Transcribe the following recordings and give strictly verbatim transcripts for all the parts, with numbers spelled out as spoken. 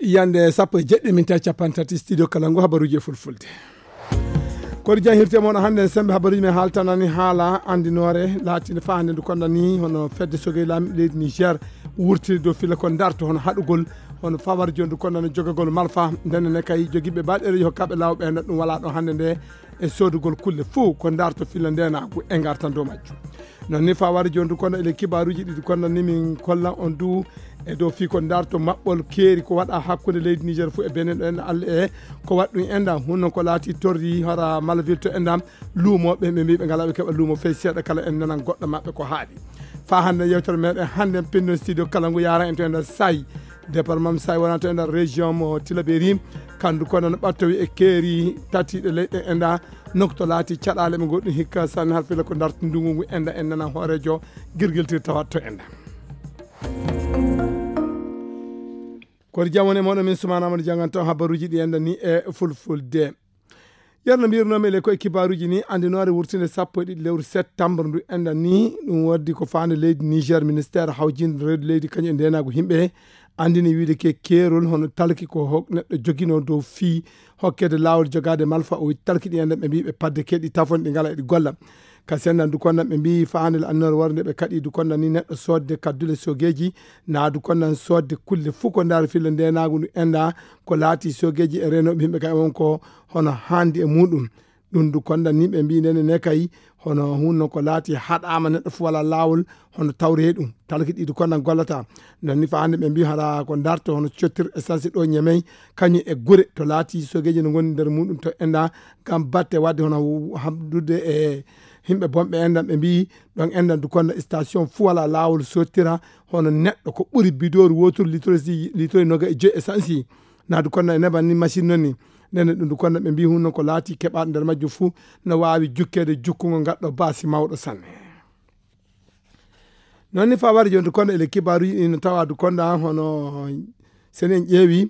Yande sappo e jeɗɗi min tawi capanɗe tati studio kala ngu habaruji e fulfulde. Koɗo jahirte moon hannde en sembe habaruji men haaltanani haala andinoore laatinde fa hannde ndu kondani hono fedde sogey laami leydi Niger wurtiri dow filla ko darto hono haɗugol hono fawar joni ndu kondani jogagol malfa ndenne ne kay jogiiɓe baɗereji hokkaɓe law ɓe ɗum wala ɗo hannde nde e sodugol kulle fuu ko darto filla ndenagu e gartan dow majjum. Non ni fawar joni ndu kono ele kibaruji ɗiɗi kono ni min kolla on du e dow fii ko darto maɓɓol keeri ko waɗa hakkunde leydi Niger fuu e Benin ɗo en Allah e ko waɗ ɗum enda hunno ko laati torri hara Malaville to enda luumoɓe ɓe mbiɓe ngala ɓe keɓa luumo fey seeɗa kala en nanan goɗɗo maɓɓe ko haaɗi. Fa hannde yewtere meɗen hannde en pinno studio kala ngu yara en to enda sayi département mi sawi wonata e nder région mo Tilaberi kandu kono no ɓattowi e keeri tatiɗe leyɗe enda nokto laati caɗale ɓe goɗɗum hikka sanne har fila ko darti ndungu ngu enda en nana hoorejo girgiltir tawat to enda. Koɗo jam woni e moɗo min sumana amadou jangan taw habaruji ɗi enda ni e fulfulde. Yerno mbirnomi le koye kibaruji ni andinoore wurtinde sappo e ɗiɗi lewru septembre ndu enda ni ɗum waddi ko faande leydi Niger ministère hawjinde reedu leydi kañum e ndenagu himɓe andini wiide ke keerol hono talki ko hok neɗɗo jogino dow fii hokkede laawol jogaade malfa o witti talki ɗi enda ɓe mbiɓe padde keɗi tafon ɗi ngala eɗi golla. Ka senndan du konnan ɓe mbiyi faande le annore warde ɓe kaɗi du konnan ni neɗɗo sodde kaddule sogeji na du konnan sodde kulle fuu ko ndaari filla ndenagu ndu enda ko laati sogeji e renoɓe himɓe kay won ko hono handi e muɗum. Ɗum du kondan ni ɓe mbi nene ne kay hono hunno ko laati haɗama neɗɗo fu wala laawol hono tawre ɗum talki ɗi du kondan gollata. Non ni fa hande ɓe mbi hara ko darto hono cottir essence ɗo ñemey kañum e gure to laati sogeji no gondi nder muɗum to enda ngam batte wadde hono hamdude e himɓe bonɓe endan ɓe mbi ɗon endan du kondan station fu wala laawol sottira hono neɗɗo ko ɓuri bidori woturu litre litre noga e joyi essence. Naadu kono e neban ni machine noon ni nene ɗum du kono ɓe mbi hunno ko laati keɓaɗo nder majjum fuu no waawi jukkeede jukkungo ngadɗo baasi mawɗo sanne. Noon ni fawari jonde kono ele kibaaruji ɗi no tawa du konda hono sen en ƴeewi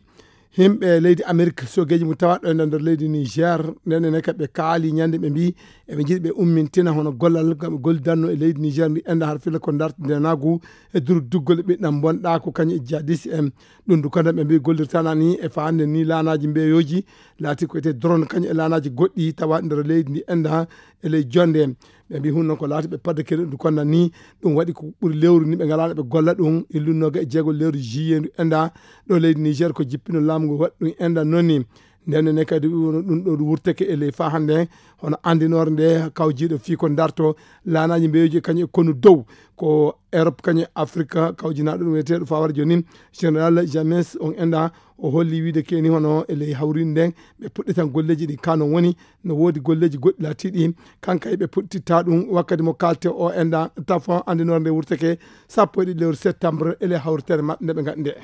himɓe leydi Amerique sogeji mum tawaɗo e nder leydi Niger nene ne kaɓe kaali ñande ɓe mbi eɓe jiɗi ɓe ummintina hono gollal gam ɓe gollidanno e leydi Niger ndi enda har fila ko darti ndenagu e duru duggol e ɓiɗɗam bonɗa ko kañum e jihadiste en. Ɗum du kadi ɓe mbi gollirtana ni e fande ni laanaji mbeyoji laati ko ete drone kañum e laanaji goɗɗi tawa nder leydi ndi enda e ley jonde. Ɓe mbi hunno ko laati ɓe padde kene ɗum konna ni ɗum waɗi ko ɓuri lewru ni ɓe ngala ɓe golla ɗum illunnoga e jeego lewru juillet ndu enda ɗo leydi Niger ko jippino laamu ngu waɗi ɗum enda noon ni. Nden ne kadi ɗum ɗo wurteke e ley fa hande hono andinore nde kawjiɗo fii ko darto laanaji mbeyoji kañum e konu dow ko Europe kañum e Afrique kawjinaɗo ɗum wiyeteɗo fawar joni général James on enda o holli wiide keni hono e ley hawrinde nden ɓe puɗɗitan golleji ɗi kano woni no woodi golleji goɗɗi laatiɗi kanka ɓe puɗɗitta ɗum wakkati mo kalte o enda tafon andinore nde wurteke sappo e ɗiɗi lewru septembre e ley hawritere maɓɓe nde ɓe gaɗi nde.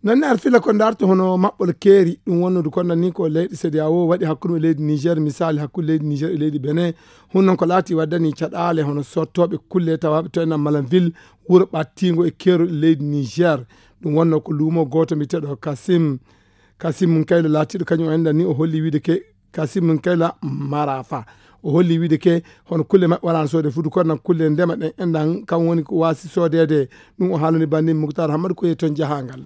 Noon ne ar fila ko darto hono maɓɓol keeri ɗum wonnude kono ni ko leyɗe cedi a o waɗi hakkunde leydi niger misali hakkunde leydi niger e leydi benin hun noon ko laati waddani caɗaale hono sottoɓe kulle tawaɓe to ena malanville wuro ɓattingo e keerol e leydi niger. Ɗum wonno ko luumo gooto mbiyeteɗo kasim kasim kaylo laatiɗo kañum o enɗan ni o holli wiide ke kasim kayla marafa o holli wiide ke hono kulle maɓɓe wala no soode fuudu kono nan kulle ndema ɗen enɗan kam woni ko waasi soodede. Ɗum o haalani banni muktar hammadu ko yehi toon jahangal.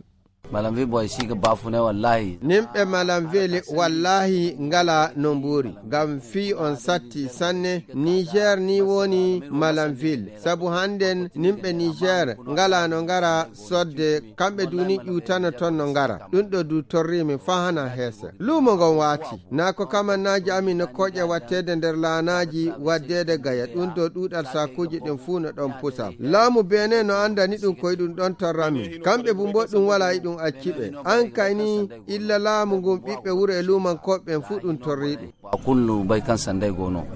Malam vi boy siga bafune wallahi. Nimɓe malam veli wallahi ngala no mbuuri ngam fii on satti sanne niger ni woni malam vil sabu hannden nimɓe niger ngala no ngara sodde kamɓe duni ƴuutano toon no ngara ɗum ɗo du torrimi faa hana heese luumo ngon waati. Na ko kamannaaji amin no koƴa waɗteede nder laanaaji waɗdeede gaya ɗum ɗo ɗuuɗal saakuuji ɗin fuu no ɗon pusa. Laamu benin no anndani ɗum koye ɗum ɗon torrami kamɓe bumbo ɗum wala e ɗum acci ɓe. An kay ni illa laamu ngun ɓiɓɓe wuro e luumankooɓe ɓen fuu ɗum torri ɗum. Ba kullu bay kan sanday gono.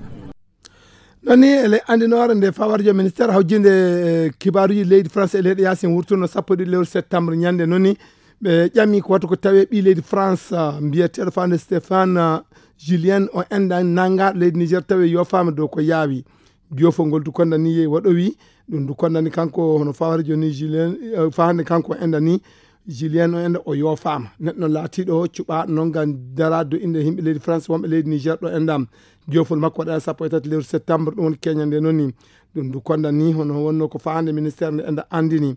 Noon ni ele anndinoore nde fawarjo ministére hawjinde e kibaaruji leydi france e leyɗe yasin wurtuno sappo e ɗiɗi lewru septembre ñande noon ni ɓe ƴami ko wata ko tawe ɓi leydi france mbiyeteɗo fande stéphane julien o enɗan nangaɗo leydi niger tawi yofaama dow ko yaawi. Jofo ngol du kondani yehi waɗowi ɗum du kondani kanko hono fawarjo ni julien fahande kanko enɗan ni Julien o enda o yoofaama. Neɗɗo laatiiɗo cuɓaaɗo noon ngam daraade dow innde yimɓe leydi France, wonɓe leydi Niger ɗo enda. Joofol makko waɗa sappo e tati lewru septembre, ɗum woni keñande noon ni. Ɗum ndu konda ni, hono wonno ko faande ministère nde enda anndini.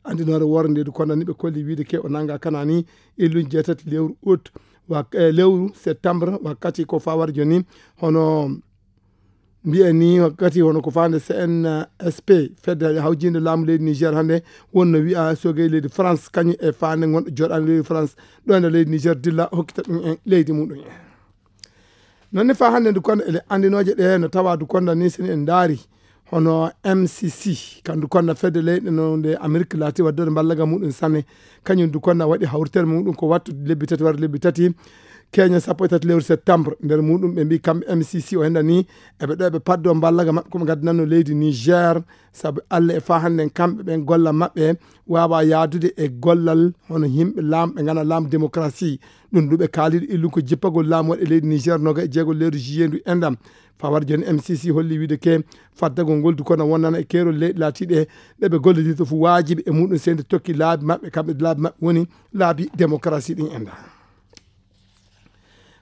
Anndinoore woore nde ndu konda ni, ɓe kolli wiide ke o nannga kana ni, e lewru jeetati lewru août, wa-, eh, lewru septembre, wakkati ko fawar jooni, hono mbiyen ni wakkati hono ko faande C N S P, fedde hawjinde laamu leydi Niger hannde, wonno wiya sogey leydi France, kañum e faande ngonɗo jooɗaani leydi France, ɗo ene leydi Niger dilla hokkita ɗum en leydi muɗum en. Noon ne faa hannde ndu konda ele anndinooje ɗe no tawa ndu konda ni seni en ndaari hono M C C, kan ndu konda fedde leyɗe no nde Amerique laati waddorde mballaga muɗum sanne, kañum ndu konda waɗi hawritere muɗum ko wattu lebbi tati wara lebbi tati, keña sappo e tati lewru septembre. Nder muɗum ɓe mbi kamɓe M C C o henda ni eɓe ɗo eɓe paddo mballaga maɓɓe ko ɓe ngaddanno leydi Niger, sabu Allah e faa hannde kamɓe ɓen gollal maɓɓe waawa yaadude e gollal hono yimɓe laamɓe ngana laamu démocratie. Ɗum ndu ɓe kaaliɗo illu ko jippagol laamu waɗe leydi Niger noga e jeego lewru juillet ndu endam. Fawar jooni M C C holli wiide ke faddagol ngol du kono wonnana e keerol leyɗe laatiiɗe ɗe ɓe gollidirta fof waajibi e muɗum seyde tokki laabi maɓɓe, kamɓe laabi maɓɓe woni laabi démocratie ɗin enda.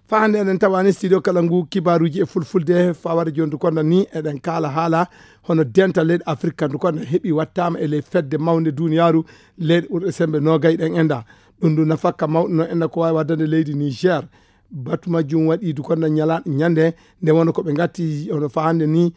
Faa hannde eɗen tawani studio kala ngu kibaaruuji e fulfulde, fawar jooni du konda ni eɗen kaala haala hono dental leyɗe Afrique kan du konda heɓi wattaama e ley fedde mawnde duniyaaru leyɗe ɓurɗe sembe noogay ɗen enda. Ɗum du nafakka mawɗo no enda ko waawi waddande leydi Niger. Batu majjum waɗi du konda ñala-, ñande nde wona ko ɓe ngatti hono faa hannde ni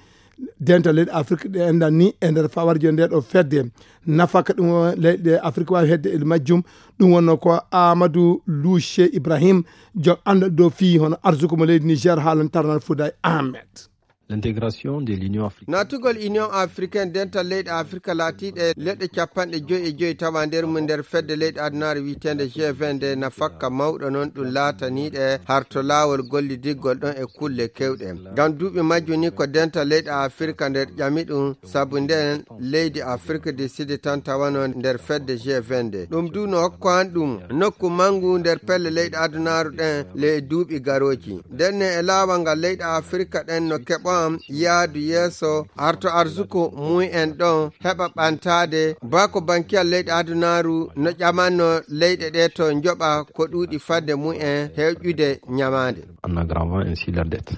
dental leyɗe Afrique ɗe enda ni e nder fawar jooni nde ɗo fedde. Nafaka ɗum o leyɗe Afrique waawi hedde e majjum. Ɗum wonno ko Amadou Louche Ibrahim, joom anndal dow fii hono arsuko mo leydi Niger haalan tarnal Fouday Ahmed. L'intégration de l'Union africaine. Naatugol Union africaine dental leyɗe Afrique laatiiɗe leɗɗe capanɗe joyi e joyi tawa nder mum nder fedde leyɗe adunaaru wiyeteende G vingt nde nafakka mawɗo noon ɗum laataniiɗe harto laawol gollidiggol ɗon e kulle kewɗe. Ngam duuɓi majjum ni ko dental leyɗe Afrique nder ƴami ɗum sabu nden leydi Afrique du Sud tan tawano nder fedde G vingt nde. Ɗum du no hokko han ɗum nokku mangu nder pelle leyɗe adunaaru ɗen ley duuɓi garooji. Nden ne e laawol ngal leyɗe Afrique ɗen no keɓo am yaadu yeeso harto arsuko mum en ɗon heɓa ɓantaade bako bankiyal leyɗe adunaaru no ƴamanno leyɗe ɗe to njoɓa ko ɗuuɗi fadde mum en hewƴude ñamaande. En aggravant ainsi la dette.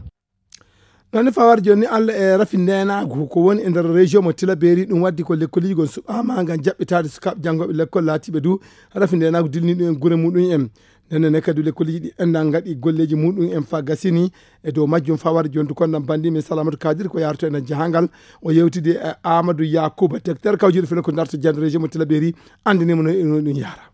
Noon ne fawar jooni Allah e rafi ndenaagu ko woni e nder région mo Tilaberi, ɗum waddi ko lekkoliji gon suɓaama ngam jaɓɓitaade sukaaɓe janngooɓe lekkol laatiiɓe du rafi ndenaagu dilni ɗum en gure muɗum en. Nden ne kadi lekkoliji ɗi enda ngaɗi golleji muɗum en faa gasini e dow majjum fawar jooni du konda bandi men Salamatu Kadir ko yaarato e nder jahangal o yewtidi e Amadou Yakuba, directeur kawjuɗo fele ko darto jande région mo Tilaberi, anndinimo no e no ɗum yaara.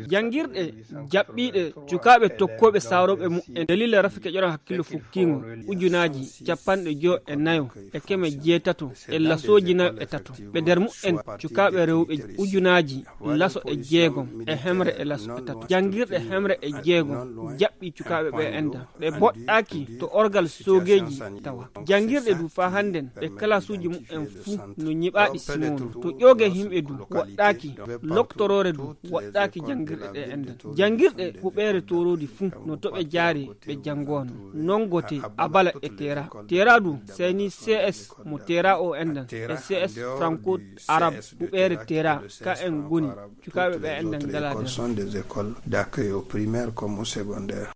Janngirɗe jaɓɓiiɗe cukaaɓe tokkooɓe saaroɓe mu'en dalila rafi keƴoran hakkillo fukkiingo ujunaaji capanɗe joyo e nayo e keme jeetato e lasooji nayo e tato. Ɓe nder mu'en cukaaɓe rewɓe ujunaaji laso e jeegom e hemre e laso e tato. Janngirɗe hemre e jeegom jaɓɓi cukaaɓe ɓe enda. Ɓe boɗɗaaki to orgal soogeeji tawa. Janngirɗe du faa hannden ɓe kalasuuji mu'en fuu no ñiɓaaɗi simoono. To ƴooge yimɓe du woɗɗaaki loktoroore du woɗɗaaki janngirɗe ɗe enda. Janngirɗe huɓeere tooroodi fuu no to ɓe jaari ɓe janngoono. Nongote abala e teera. Teera du seni C S mo teera o enda e C S franco arabe huɓeere teera ka en ngoni. Cukaaɓe ɓe enda ngalaa der. Sont des écoles d'accueil au primaire comme au secondaire.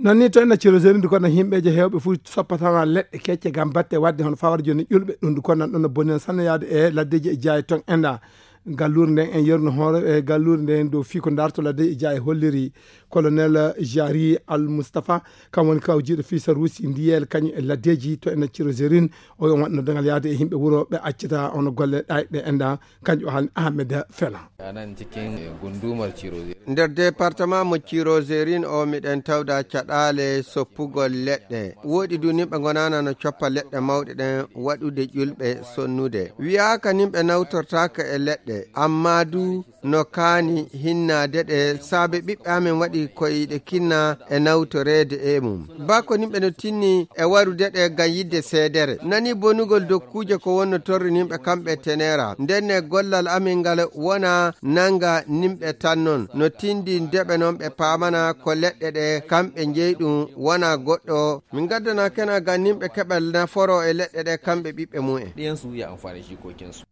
Noon ni to ena ciroseri ndu kono yimɓeeje heewɓe fof soppatana leɗɗe kecce ngam batte waɗde hono fawar jooni ƴulɓe ɗum ndu kono ɗum no boni sanne yaade e laddeeji e jaaye ton enda. Galluure nden en yerno hoore e galluure nden dow fii ko darto laddeeji e jaaye holliri colonel Jari Al Mustafa, kam woni kawjiiɗo fii saruusi ndiyel kañum e laddeeji to ena ciroserin. O yo waɗno dangal yaade e yimɓe wuro ɓe accata hono golle ɗayɗe enda. Kanƴo haalni Ahmed Fela. Anan cikin gundumar Cirozerin. Nder département mo Cirozerin o miɗen tawda caɗaale soppugol leɗɗe. Woɗi du nimɓe ngonana no coppa leɗɗe mawɗe ɗen waɗude ƴulɓe sonnude. Wiyaaka nimɓe nawtortaaka e leɗɗe. Amma du no kaani hinnaade ɗe, saabe ɓiɓɓe amen waɗi ko iɗe kinna e nawtoreede e mum. Baa ko nimɓe no tinni e warude ɗe ngam yiɗde seedere. Nani bonugol dokkuuje ko wonno torri nimɓe kamɓe tenera. Ndenne gollal amen ngal wona nanga nimɓe tan non. No tindi ndeɓe non ɓe paamana ko leɗɗe ɗe kamɓe njeyi ɗum wona goɗɗo. Min gaddana kena ngam nimɓe keɓal naforo e leɗɗe ɗe kamɓe ɓiɓɓe mumen. Ɗiyansu ya amfani jikokinsu.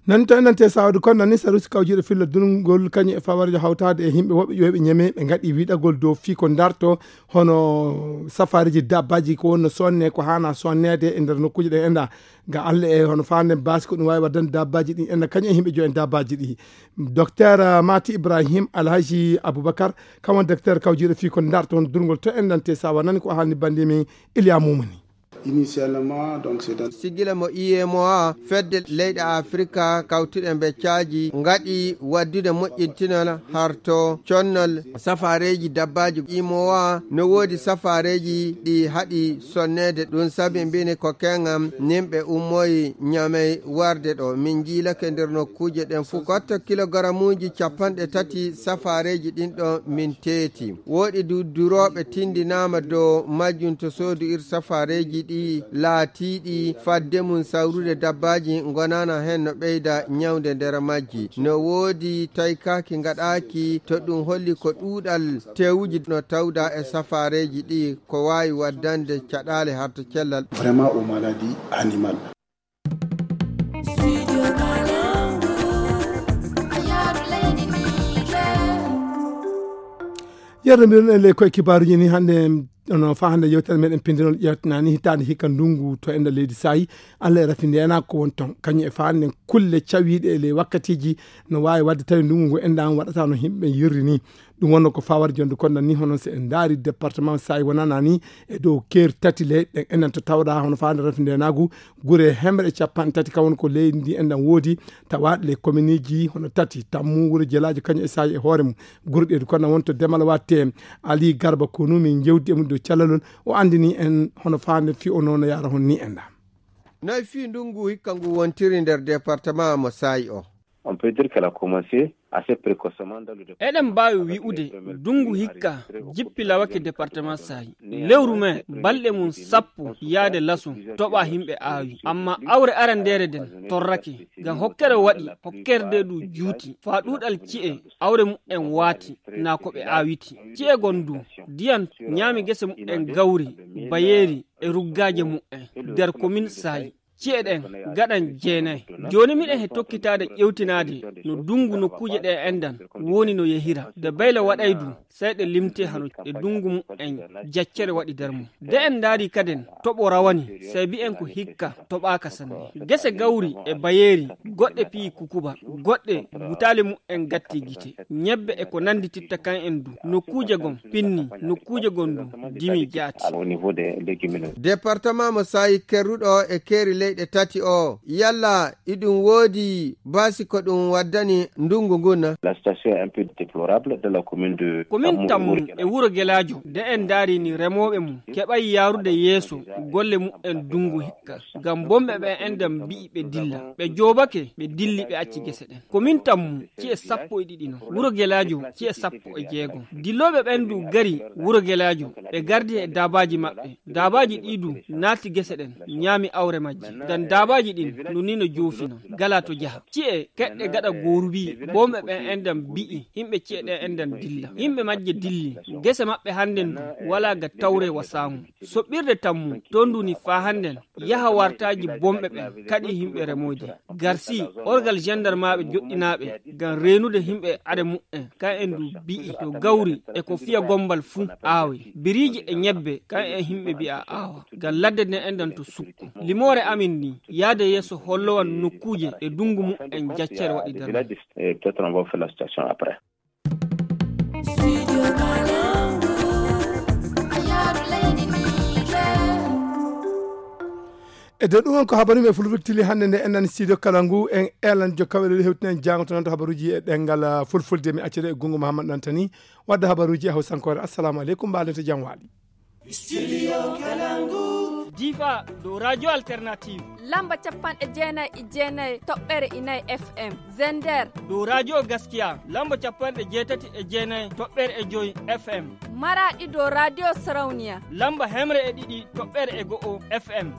Nan to enɗan te sawadu kon nani sarusi kawjiiɗo filla durngol kañum e fawarjo hawtaade e yimɓe woɓɓe ƴooyɓe ñeme ɓe ngaɗi wiɗagol dow fii ko darto hono safareeji dabbaaji ko wonno sonne ko haana sonneede e nder nokkuuji ɗen enɗa ga Allah e hono faande baasi ko ɗum waawi waddande dabbaaji ɗin enɗa kañum e yimɓe joyen dabbaaji ɗi. Docteur Mati Ibrahim Alhaji Aboubacar kam won docteur kawjiiɗo fii ko darto hono durngol to enɗan te sawa nani ko haalni bannde min Iliya Mumuni. Initialement, donc, c'est dans Sigila mo I M O A, fedde leyɗe Afrika kawtuɗe mbe caaji ngaɗi waddude moƴƴintinol harto connol safareeji dabbaaji. I M O A no woodi safareeji ɗi haɗi sonneede, ɗum sabi mbini ko keŋam nimɓe ummoyi ñamey warde ɗo. Min njiilake nder nokkuuje ɗen fuu. Ko kilogaramuuji capanɗe tati safareeji ɗin ɗo min teeti. Wooɗi du durooɓe tindinaama dow majjum to soodu ir safareeji ɗi laatiiɗi fadde mum sawrude dabbaaji ngonaana heen no ɓeyda ñawnde nder majji. No woodi taykaaki ngaɗaaki to ɗum holli ko ɗuuɗal teewuji no tawda e safareeji ɗi ko waawi waddande caɗaale harto cellal. Vraiment aux maladies animales. Yerno mbiɗon en ley koye kibaaruji ni hannde ono fa hannde yewtere meɗen pindinol ƴeewtanani hitaande hikka ndungu to enda leydi saayi Allah e rafi ndena ko won ton kañum e fa hannde kulle cawiiɗe e ley wakkatiiji no waawi waɗde tawi ndungu ngu enda on waɗata no yimɓe yirri ni. Ɗum wonno ko fawar jonde kon nan ni hono so en ndaari département saayi wonana ni e dow keer tati ley ɗen enen to tawɗa hono faande rafi ndenagu gure hemre e capanɗe tati kam woni ko leydi ndi enɗan woodi tawaɗe ley kominiji hono tati tammu wuro jelaajo kañum e saayi e hoore mum. Gure ɗe du kono wonto demal watte ali garba konu min jewdi e mum dow callalol o andini en hono faande fi o nono yara hon ni enɗa. Noy fii ndungu hikka ngu wontiri nder département mo saayi o? On peut dire qu'elle a commencé assez précocement dans le département. Eɗen mbaawi wi'ude ndungu hikka jippi lawake département saayi lewru mai balɗe mum sappo yaade laso toɓa himɓe aawi amma awre arandeere nden torrake ngam hokkere waɗi hokkerde du juuti faa ɗuuɗal ci'e awre mu'en waati naa ko ɓe aawiti ci'e gon du ndiyan ñaami gese mu'en gawri bayeeri e ruggaaje mu'en nder komin saayi ci'e ɗen gaɗan jeenay. Jooni miɗen he tokkitaade ƴewtinaade no ndungu nokkuuje ɗe enɗan woni no yehira nde bayla waɗay du sey ɗe limte hano ɗe ndungu mu'en jaccere waɗi nder mum. Nde en ndaari kaden toɓo rawani sey mbi'en ko hikka toɓaaka sanne. Gese gawri e bayeeri goɗɗe piyi kukuba goɗɗe butaali mu'en gatti gite ñebbe e ko nanndi titta kan en du nokkuuje gon pinni nokkuuje gon du dimi jaati. Département mo saayi kerruɗo e keeri leyɗe tati o yalla iɗum woodi baasi ko ɗum waddani ndungu ngun? La situation est un peu déplorable dans la commune de komin tammu e wuro gelaajo nde en ndaari ni remooɓe mum keɓay yaarude yeeso golle mu'en ndungu hikka ngam bomɓe ɓe enɗan mbi'i ɓe dilla ɓe joobake ɓe dilli ɓe acci gese ɗen. Komin tammu ci'e sappo e ɗiɗi non wuro gelaajo ci'e sappo e jeegom dillooɓe ɓen du gari wuro gelaajo ɓe gardi e daabaaji maɓɓe daabaaji ɗi du naati gese ɗen ñaami awre majji ngam daabaaji ɗin no ni no joofina gala to jaha ci'e keɗɗe gaɗa goorubi bomɓe ɓen enɗan mbi'i yimɓe ci'e ɗen enɗan dilla yimɓe majje dilli gese maɓɓe hannden du wala ga tawre wa saamu soɓɓirde tammu ton du ni faa hannden yaha wartaaji bomɓe ɓen kaɗi yimɓe remoyde garsi orgal gendarmaaɓe joɗɗinaaɓe ngam reenude yimɓe are mu'en kan en du bi'i to gawri e ko fiya gombal fuu aawe biriiji e ñebbe kan en yimɓe mbi'a aawa ngam ladde nden enɗan to sukku limoore amin ni yaade yeeso hollowan nokkuuje e ndungu mu'en jaccere waɗi nder mum. E dow ɗum on ko habaru men fulfulde tili hannde nde en nani studio kala ngu en elan jokkaɓe ɗo hewtinen jangoto noon to habaruji e ɗengal fulfulde mi accede e gungu mahamad nantani wadde habaruji e hawsankore. Assalamu aleykum mbaɗen to jam waali. Studio kala ngu. Difa dow Radio Alternative. Lamba capanɗe jeenayi e jeenayi toɓɓere e nayi F M. Zender. Dow Radio Gaskiya, lamba capanɗe jeetati e jeenayi toɓɓere e joy F M. Maraɗi dow Radio Sarauniya. Lamba hemre e ɗiɗi toɓɓere e go'o F M.